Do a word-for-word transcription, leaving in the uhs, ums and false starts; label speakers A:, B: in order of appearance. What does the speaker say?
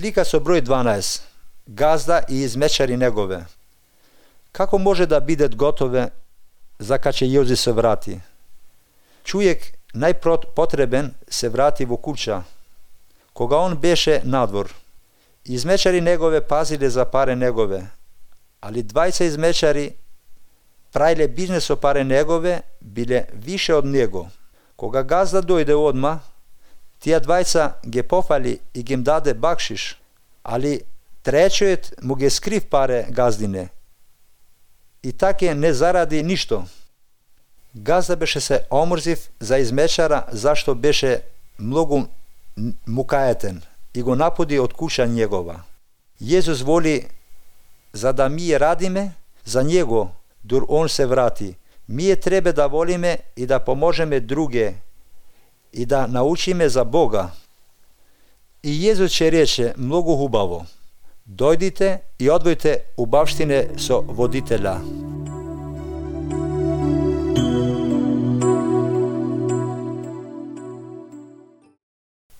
A: слика со број дванаесет. Газда и измечари негове. Како може да бидат готове за каќе Јозеф се врати? Човек најпотребен се врати во куќа, кога он беше надвор. Измечари негове пазиле за паре негове, али двајца измечари праиле бизнес со паре негове, биле више од него. Кога газда дојде одма, тие двајца ги пофали и ги им даде бакшиш, али тречиот му ги скрив паре газдине и таке не заради ништо. Газда беше се омрзив за измечара зашто беше многу мукаетен и го напуди од куќа негова. Језус воли за да ние радиме за него, дур он се врати. Ние треба да волиме и да поможеме друге и да научиме за Бога. И Језус ќе рече многу хубаво: дојдите и одвојте убавштине со водителя.